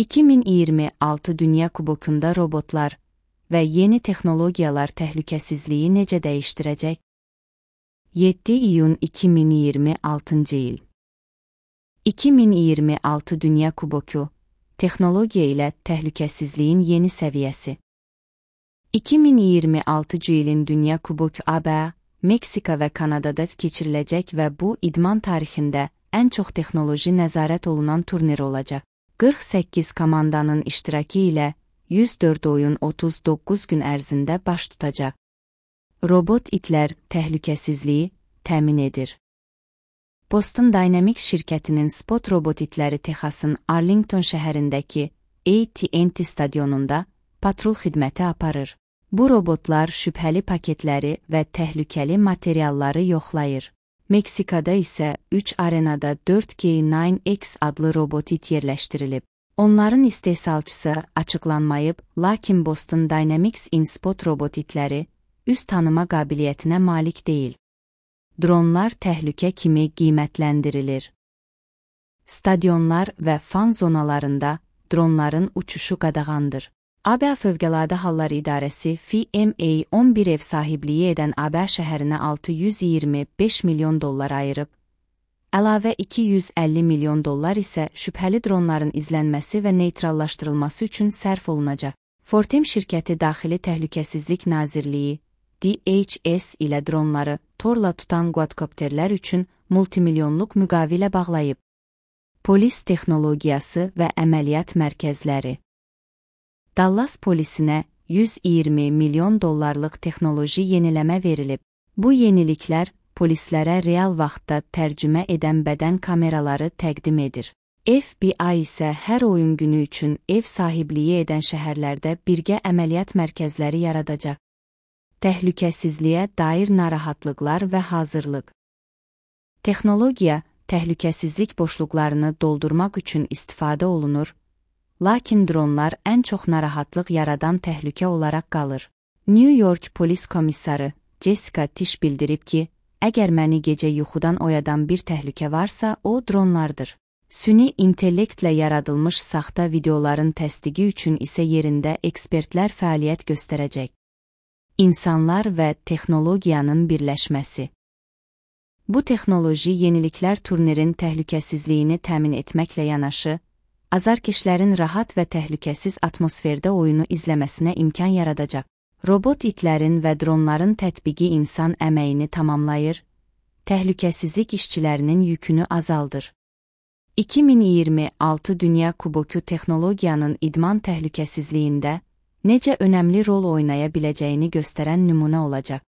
2026 Dünya Kubokunda robotlar və yeni texnologiyalar təhlükəsizliyi necə dəyişdirəcək? 7 iyun 2026 il. 2026 Dünya Kuboku, texnologiya ilə təhlükəsizliyin yeni səviyyəsi. 2026 ilin Dünya Kuboku ABA, Meksika və Kanadada keçiriləcək və bu idman tarixində ən çox texnoloji nəzarət olunan turnir olacaq. 48 komandanın iştirakı ilə 104 oyun 39 gün ərzində baş tutacaq. Robot itlər təhlükəsizliyi təmin edir. Boston Dynamics şirkətinin Spot robot itləri Texasın Arlington şəhərindəki AT&T stadionunda patrul xidməti aparır. Bu robotlar şübhəli paketləri və təhlükəli materialları yoxlayır. Meksikada isə 3 arenada 4K9X adlı robot it yerləşdirilib. Onların istehsalçısı açıqlanmayıb, lakin Boston Dynamics InSpot robot itləri üz tanıma qabiliyyətinə malik deyil. Dronlar təhlükə kimi qiymətləndirilir. Stadionlar və fan zonalarında dronların uçuşu qadağandır. ABA Fövqəladə Hallar İdarəsi FEMA 11 ev sahibliyi edən ABA şəhərinə $625 milyon ayırıb. Əlavə $250 milyon isə şübhəli dronların izlənməsi və neytrallaşdırılması üçün sərf olunacaq. Fortem şirkəti Daxili Təhlükəsizlik Nazirliyi DHS ilə dronları torla tutan quadkopterlər üçün multimilyonluq müqavilə bağlayıb. Polis texnologiyası və əməliyyat mərkəzləri. Dallas polisinə $120 milyon texnoloji yeniləmə verilib. Bu yeniliklər polislərə real vaxtda tərcümə edən bədən kameraları təqdim edir. FBI isə hər oyun günü üçün ev sahibliyi edən şəhərlərdə birgə əməliyyat mərkəzləri yaradacaq. Təhlükəsizliyə dair narahatlıqlar və hazırlıq. Texnologiya, təhlükəsizlik boşluqlarını doldurmaq üçün istifadə olunur, lakin dronlar ən çox narahatlıq yaradan təhlükə olaraq qalır. New York polis komissarı Jessica Tish bildirib ki, əgər məni gecə yuxudan oyadan bir təhlükə varsa, o dronlardır. Süni intellektlə yaradılmış saxta videoların təsdiqi üçün isə yerində ekspertlər fəaliyyət göstərəcək. İnsanlar və texnologiyanın birləşməsi. Bu texnoloji yeniliklər turnirin təhlükəsizliyini təmin etməklə yanaşı, azarkeşlərin rahat və təhlükəsiz atmosferdə oyunu izləməsinə imkan yaradacaq. Robot itlərin və dronların tətbiqi insan əməyini tamamlayır, təhlükəsizlik işçilərinin yükünü azaldır. 2026 Dünya Kuboku texnologiyanın idman təhlükəsizliyində necə önəmli rol oynaya biləcəyini göstərən nümunə olacaq.